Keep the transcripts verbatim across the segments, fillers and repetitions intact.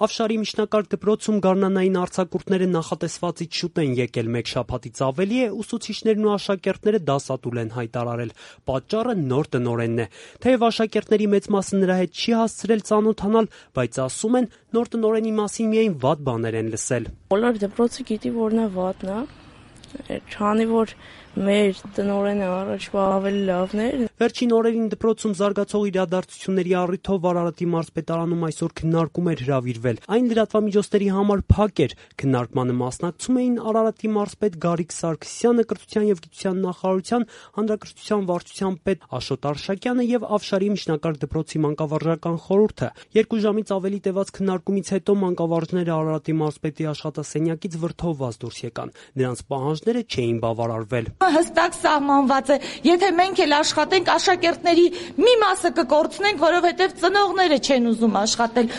Ավշարի միջնակարգ դպրոցում գարնանային արձակուրդները նախատեսվածից շուտ են եկել, մեկ շաբաթից ավելի է, ուսուցիչներն ու աշակերտները դասադուլ են հայտարարել։ Պատճառը նոր տնօրենն է։ Թեև աշակերտների մեծ մասը նրա հետ չի հասցրել ծանոթանալ, բայց ասում են, նոր տնօրենի մասին միայն վատ բաներ են լսել։ Բոլոր դպրոցը գիտի, որ նա վատն է, քանի որ մեր տնօրենը առաջվա ավելի լավն էր։ Վերջին օրերին դպրոցում զարգացող իրադարձությունների առիթով Արարատի մարզպետարանում այսօր քննարկում էր հրավիրվել։ Այն լրատվամիջոցների համար փակ էր։ Քննարկմանը մասնակցում էին Արարատի մարզպետ Գարիկ Սարգսյանը, կրթության եւ գիտության նախարարության հանրակրթության վարչության պետ Աշոտ Արշակյանը եւ Ավշարի միջնակարգ դպրոցի մանկավարժական խորհուրդը։ Երկու ժամից ավելի տևած քննարկումից հետո մանկավարժները Արարատի մարզպետի աշխատասենյակից վրդովված դուրս եկան։ Նրանց պահանջները չէին բավարարվել։ Հստակ սահմանված է, եթե մենք էլ աշխատենք, աշակերտների մի մասը կկորցնենք, որովհետև ծնողները չեն ուզում աշխատել։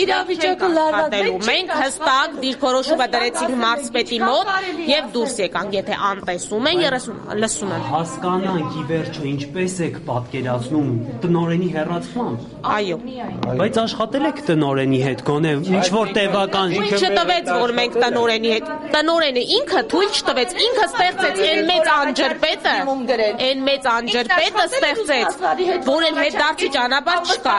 Իրավիճակը լարված։ Մենք հստակ դիրքորոշումը դրեցինք մարզպետի մոտ եւ դուրս եկանք, եթե անտեսում են, լսում են։ Հասկանանք ի վերջո ինչպես եք պատկերացնում տնօրենի հեռացմամբ։ Այո։ Բայց աշխատել եք տնօրենի հետ, գոնե ինչ որ տևական։ Չտվեց, որ մենք տնօրենի հետ։ Տնօրենը ինքը թույլ չտվեց, ինքը ստեղծեց այն մեծ անջրպետը, այն մեծ անջրպետը ստեղծեց, որ էլ հետդարձի ճանապարհ չկա։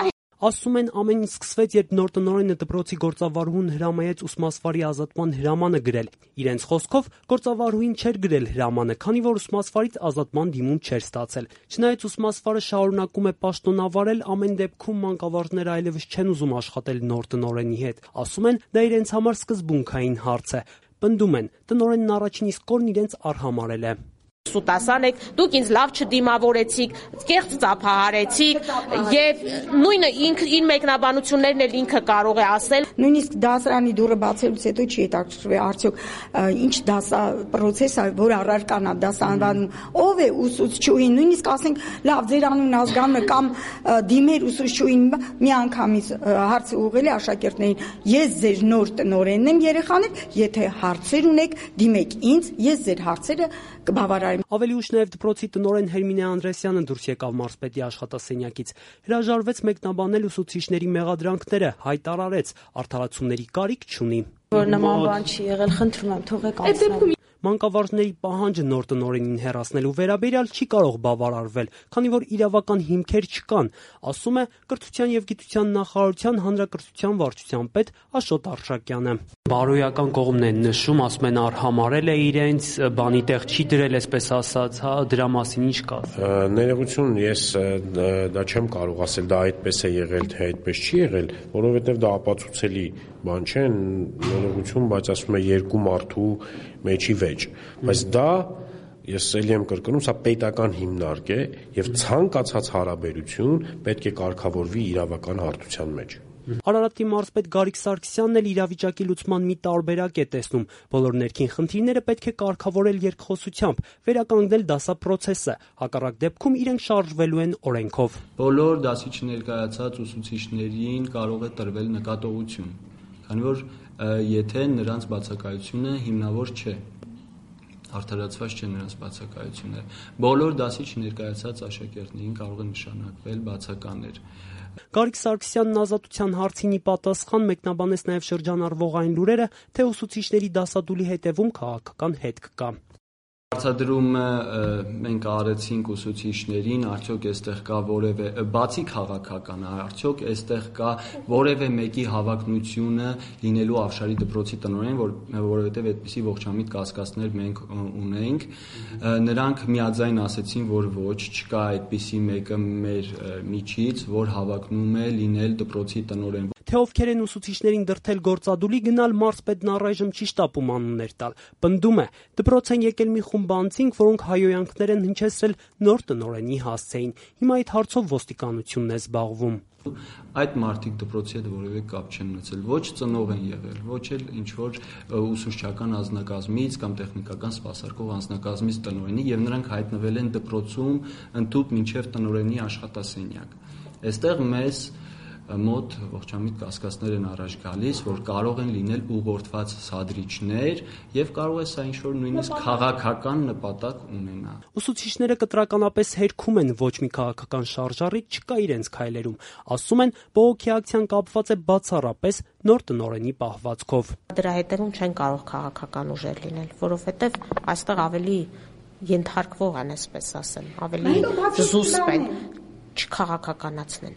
Ասում են, ամեն ինչ սկսվեց, երբ նոր տնօրենը դպրոցի գործավարուհուն հրամայեց ուսմասվարի ազատման հրամանը գրել։ Իրենց խոսքով գործավարուհին չէր գրել հրամանը, քանի որ ուսմասվարից ազատման դիմում չէր ստացել։ Չնայած ուսմասվարը շարունակում է պաշտոնավարել, ամեն դեպքում մանկավարժները այլևս չեն ուզում աշխատել նոր տնօրենի հետ։ Ասում են, դա իրենց համար սկզբունքային հարց է։ Պնդում են, տնօրենն առաջին իսկ օրն իրենց արհամարել է։ Սուտասան եք, դուք ինձ լավ չդիմավորեցիք, կեղծ ծափահարեցիք եւ նույնը իր մեկնաբանություններն էլ ինքը կարող է ասել։ Նույնիսկ դասարանի դուռը բացելուց հետո չի հետաքրքրվել արդյոք ինչ դասա պրոցես է, որ առարկանա դասանվանում, ով է ուսուցչուհին, նույնիսկ ասենք լավ ձեր անունն ազգանունը կամ դիմեր ուսուցչուհին մի անգամից հարցը ուղղել է աշակերտներին, ես ձեր նոր տնօրենն եմ երեխաներ, եթե հարցեր ունեք, դիմեք ինձ, ես ձեր հարցերը կբավարարեմ։ Ավելի ուշ նաև դպրոցի տնօրեն Հերմինե Անդրեսյանը դուրս եկավ մարզպետի աշխատասենյակից։ Հրաժարվեց մեկնաբանել ուսուցիչների մեղադրանքները, հայտարարեց, արդարացումների կարիք չունի։ Որ նման բան չի եղել, խնդրում եմ, թողեք անցնել։ Մանկավարժների պահանջը նոր տնօրենին հեռացնելու վերաբերյալ չի կարող բավարարվել, քանի որ իրավական հիմքեր չկան, ասում է կրթության եւ գիտության նախարարության հանրակրթության վարչության պետ Աշոտ Արշակյանը։ Բարոյական կողմն են նշում, ասում են արհամարել է իրենց, բանի տեղ չի դրել, այսպես ասած, հա, դրա մասին ինչ կա։ Ներողություն, ես դա չեմ կարող ասել, դա այդպես է եղել, թե այդպես չի եղել, որովհետեւ դա ապացուցելի բան չէ, ներողություն, բայց ասում է երկու մարդու մեջի վեճ, բայց դա ես ելի եմ կրկնում, սա պետական հիմնարկ է եւ ցանկացած հարաբերություն պետք է կարգավորվի իրավական հարթության մեջ։ Արարատի մարզպետ Գարիկ Սարգսյանն էլ իրավիճակի լուծման մի տարբերակ է տեսնում։ Բոլոր ներքին խնդիրները պետք է կարգավորել երկխոսությամբ, վերականգնել դասապրոցեսը, հակառակ դեպքում իրենք շարժվելու են օրենքով։ Բոլոր դասի չներկայացած ուսուցիչներին կարող է տրվել նկատողություն, քանի որ եթե նրանց բացակայությունը հիմնավոր չէ, արդարացված չէ նրանց բացակայությունը, բոլոր դասի չներկայացած աշակերտներին կարող է նշանակվել բացականներ։ Գարիկ Սարգսյանն ազատության հարցին ի պատասխան մեկնաբանեց նաև շրջանառվող այն լուրերը, թե ուսուցիչների դասադուլի հետևում քաղաքական հետք կա։ Հարցադրումը մենք արեցինք ուսուցիչներին, արդյոք այստեղ կա որևէ բացի քաղաքական, արդյոք այստեղ կա որևէ մեկի հավակնությունը լինելու Ավշարի դպրոցի տնօրեն, որ որովհետև այդպիսի ողջամիտ կասկածներ մենք ունենք։ Նրանք միաձայն ասեցին, որ ոչ, չկա այդպիսի մեկը մեր միջից, որ հավակնում է լինել դպրոցի տնօրեն։ Թե ովքեր են ուսուցիչներին դրդել գործադուլի գնալ, մարզպետն առայժմ չի շտապում անուններ տալ։ Պնդում է, դպրոց են եկել մի խումբ անձինք, որոնք հայոյանքներ են հնչեցրել նոր տնօրենի հասցեին։ Հիմա այդ հարցով ոստիկանությունն է զբաղվում։ Այդ մարդիկ դպրոցի հետ որևէ կապ չեն ունեցել, ոչ ծնող են եղել, ոչ էլ ինչ որ ուսուցչական անձնակազմից կամ տեխնիկական սպասարկող անձնակազմից տնօրենի, եւ նրանք հայտնվել են դպրոցում ընդհուպ մինչեւ տնօրենի աշխատասենյակ։ Այստեղ մեզ մոտ ողջամիտ կասկածներ են առաջ գալիս, որ կարող են լինել ուղղորդված սադրիչներ եւ կարող է սա ինչ-որ նույնիսկ քաղաքական նպատակ ունենա։ Ուսուցիչները կտրականապես հերքում են, ոչ մի քաղաքական շարժառիթ չկա իրենց քայլերում, ասում են, բողոքի ակցիան կապված է բացառապես նոր տնօրենի պահվածքով։ Դրա հետևում չեն կարող քաղաքական ուժեր լինել, որովհետեւ այստեղ ավելի ենթարկվող են, այսպես ասեմ, ավելի զուսպ են չքաղաքականացնեն։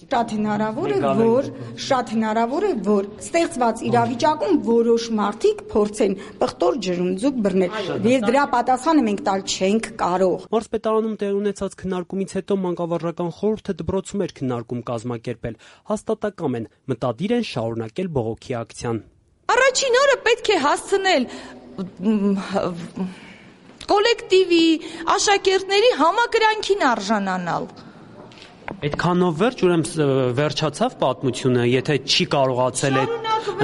Շատ հնարավոր է, որ շատ հնարավոր է, որ ստեղծված իրավիճակում որոշ մարդիկ փորձեն պղտոր ջրում ձուկ բռնել, եւ դրա պատասխանը մենք տալ չենք կարող։ Մարզպետարանում տեղի ունեցած քննարկումից հետո մանկավարժական խորհուրդը դպրոցում էր քննարկում կազմակերպել։ Հաստատակամ են, մտադիր են շարունակել բողոքի ակցիան։ Առաջին օրը պետք է հասցնել կոլեկտիվի, աշակերտների համակրանքին արժանանալ։ Այդքանով վերջ, ուրեմն վերջացավ պատմությունը, եթե չի կարողացել այդ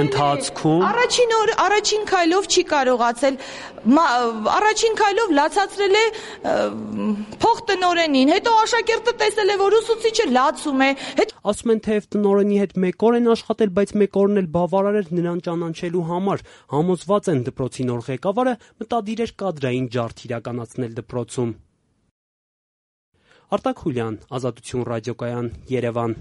ընթացքում։ Առաջին օր, առաջին քայլով չի կարողացել, առաջին քայլով լացացրել է փող տնօրենին, հետո աշակերտը տեսել է, որ ուսուցիչը լացում է։ Ասում են, թեև տնօրենի հետ մեկ օր են աշխատել, բայց մեկ օրն էլ բավարար էր նրան ճանաչելու համար։ Համոզված են դպրոցի նոր ղեկավարը մտադիր էր կադրային ջարդ իրականացնել դպրոցում։ Արտակ Խուլյան, Ազատություն ռադիոկայան, Երևան։